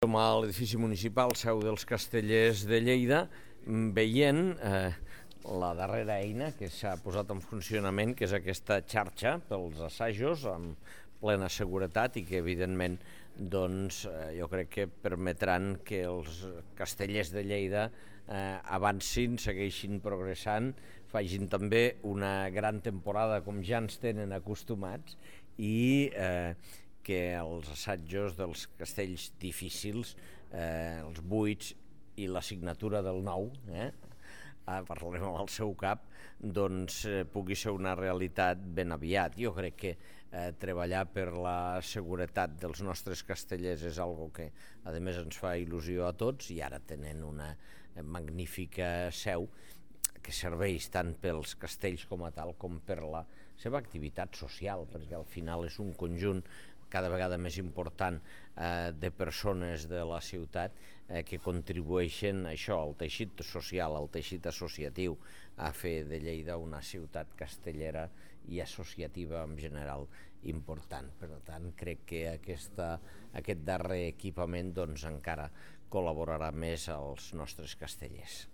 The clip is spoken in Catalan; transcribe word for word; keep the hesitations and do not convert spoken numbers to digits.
Som a l'edifici municipal Seu dels Castellers de Lleida, veient eh, la darrera eina que s'ha posat en funcionament, que és aquesta xarxa pels assajos amb plena seguretat i que evidentment doncs, eh, jo crec que permetran que els castellers de Lleida eh, avancin, segueixin progressant, facin també una gran temporada com ja ens tenen acostumats i eh, que els assajos dels castells difícils, eh, els buits i la signatura del nou, eh, parlarem amb el seu cap, doncs eh, pugui ser una realitat ben aviat. Jo crec que eh, treballar per la seguretat dels nostres castellers és algo que a més ens fa il·lusió a tots, i ara tenen una magnífica seu que serveix tant pels castells com a tal com per la seva activitat social, perquè al final és un conjunt cada vegada més important eh, de persones de la ciutat eh, que contribueixen a això, al teixit social, al teixit associatiu, a fer de Lleida una ciutat castellera i associativa en general important. Per tant, crec que aquesta, aquest darrer equipament doncs, encara col·laborarà més als nostres castellers.